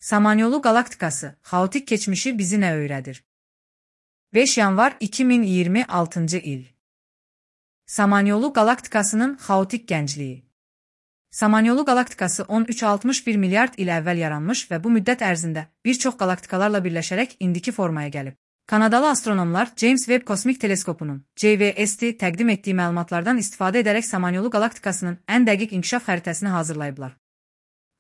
Samanyolu qalaktikası, xaotik keçmişi bizi nə öyrədir? 5 yanvar 2026 il. Samanyolu qalaktikasının xaotik gəncliyi. Samanyolu qalaktikası 1361 milyard il əvvəl yaranmış və bu müddət ərzində bir çox qalaktikalarla birləşərək indiki formaya gəlib. Kanadalı astronomlar James Webb Kosmik Teleskopunun JWST təqdim etdiyi məlumatlardan istifadə edərək Samanyolu qalaktikasının ən dəqiq inkişaf xəritəsini hazırlayıblar.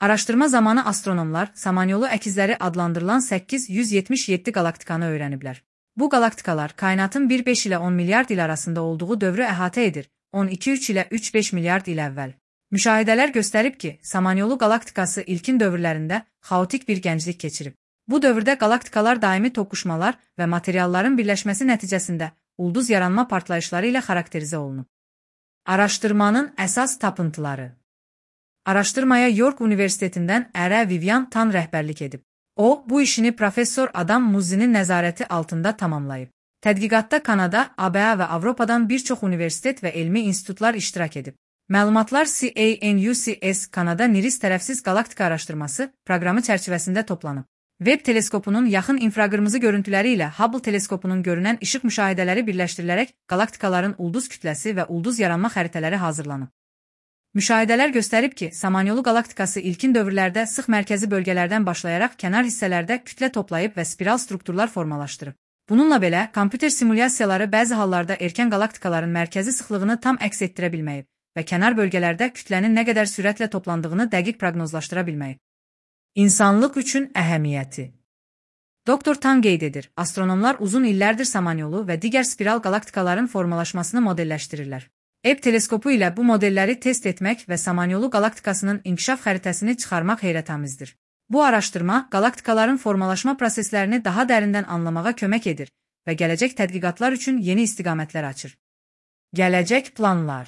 Araşdırma zamanı astronomlar Samanyolu əkizləri adlandırılan 877 qalaktikanı öyrəniblər. Bu qalaktikalar kainatın 1,5 ilə 10 milyard il arasında olduğu dövrü əhatə edir, 12,3 ilə 3,5 milyard il əvvəl. Müşahidələr göstərib ki, Samanyolu qalaktikası ilkin dövrlərində xaotik bir gənclik keçirib. Bu dövrdə qalaktikalar daimi toqquşmalar və materialların birləşməsi nəticəsində ulduz yaranma partlayışları ilə xarakterizə olunub. Araşdırmanın əsas tapıntıları. Araşdırmaya York Universitetindən Ərə Vivian Tan rəhbərlik edib. O, bu işini professor Adam Muzzinin nəzarəti altında tamamlayıb. Tədqiqatda Kanada, ABA və Avropadan bir çox universitet və elmi institutlar iştirak edib. Məlumatlar CANUCS Kanada NIRIS tərəfsiz qalaktika araşdırması proqramı çərçivəsində toplanıb. Webb teleskopunun yaxın infraqırmızı görüntüləri ilə Hubble teleskopunun görünən işıq müşahidələri birləşdirilərək qalaktikaların ulduz kütləsi və ulduz yaranma xəritələri hazırlanıb. Müşahidələr göstərib ki, Samanyolu qalaktikası ilkin dövrlərdə sıx mərkəzi bölgələrdən başlayaraq kənar hissələrdə kütlə toplayıb və spiral strukturlar formalaşdırıb. Bununla belə, kompüter simulyasiyaları bəzi hallarda erkən qalaktikaların mərkəzi sıxlığını tam əks etdirə bilməyib və kənar bölgələrdə kütlənin nə qədər sürətlə toplandığını dəqiq proqnozlaşdıra bilməyib. İnsanlıq üçün əhəmiyyəti. Dr. Tan qeyd edir, astronomlar uzun illərdir Samanyolu və digər spiral qalaktikaların formalaşmasını modelləşdirirlər. Ebb teleskopu ilə bu modelləri test etmək və Samanyolu qalaktikasının inkişaf xəritəsini çıxarmaq heyrətamizdir. Bu araşdırma qalaktikaların formalaşma proseslərini daha dərindən anlamağa kömək edir və gələcək tədqiqatlar üçün yeni istiqamətlər açır. Gələcək planlar.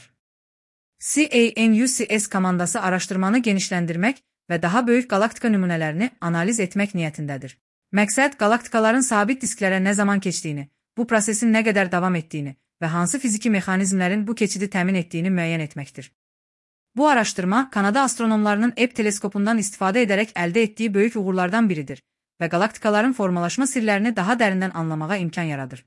CANUCS komandası araşdırmanı genişləndirmək və daha böyük qalaktika nümunələrini analiz etmək niyyətindədir. Məqsəd qalaktikaların sabit disklərə nə zaman keçdiyini, bu prosesin nə qədər davam etdiyini və hansı fiziki mexanizmlərin bu keçidi təmin etdiyini müəyyən etməkdir. Bu araşdırma Kanada astronomlarının Ebb teleskopundan istifadə edərək əldə etdiyi böyük uğurlardan biridir və qalaktikaların formalaşma sirlərini daha dərindən anlamağa imkan yaradır.